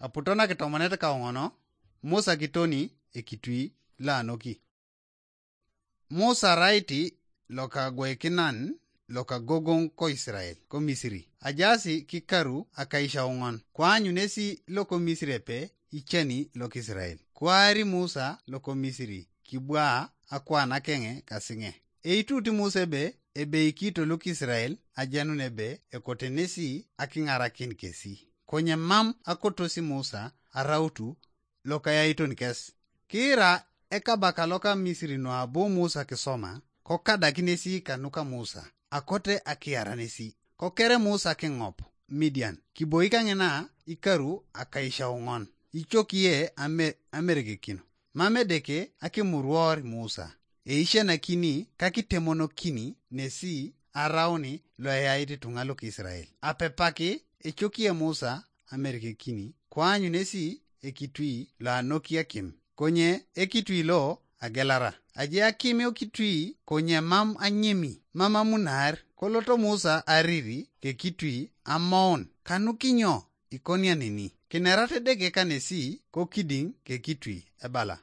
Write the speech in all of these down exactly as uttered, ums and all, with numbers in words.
Aputo na kitomonet kaoŋono, Musa kitoni ekitui lo anoki. Musa raiti loka gwekinan loka gogoŋ ko Isirael ko Misiri. Ajasi kikaru akaisauŋon, koanyunesi loko Misiri epe iceni lok Isirael. Kwaari Musa loko Misiri kibwaa akwaanakeŋe kasiŋe. Eitut Musa ebe ebeikito lok Isirael ajenun ebe ekotenesi akiŋarakin kesi. Konye mam akotosi Musa arautu lokayaiton kes. Kiira ekabaka loka Misiri nuabu Musa kisoma, kokadakinesi kanuka Musa, akote akiaranesi. Kokere Musa kiŋop Midian, kiboik aŋina ikaru akaisauŋon, icokie ame-, ameregekin. Mam Edeke akimuruor Musa, eisianakini kakitemonokini nesi arauni loeyait ituŋa lok Isirael. Apepaki ecokie Musa amerekekini, koanyunesi ekitui lo anoki akim, konye ekitui lo agelara. Aje akim okitui konye mam anyemi, mam amunar. Koloto Musa ariri kekitui amoun, kanukinyo ikonianeni? Kinerat Edeke kanesi kokidiŋ kekitui ebala,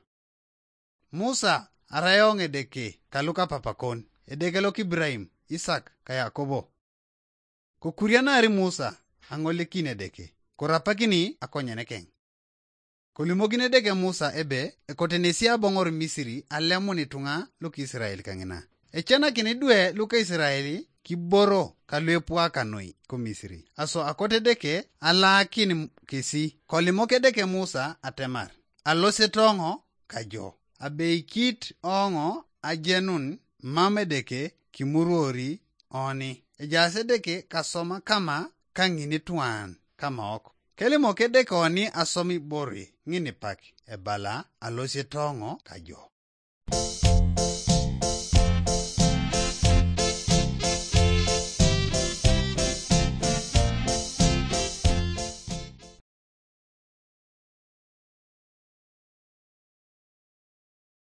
Musa, arai eoŋ Edeke kaluka papakon, Edeke lok Ibrahim, Isak ka Yakobo. Kokurianari Musa aŋolekin Edeke, korapakini akonyenekeŋ. Kolimokin Edeke Musa ebe ekotenesi aboŋor Misiri alemun ituŋa lok Isirael kaŋina. Ecenakini idwe luka Isirael kiboro kaluepwaka noi ko Misiri. Aso akote Edeke alaakin kesi, kolimok Edeke Musa atemar, alosetoŋo kajo, abeikit oŋo ajenun mam Edeke kimuruori oni. Ejaas Edeke kasoma kama kaŋinituan kamaok. Kelimok Edeke oni asom ibore ŋinipak, ebala, alosetoŋo kajo.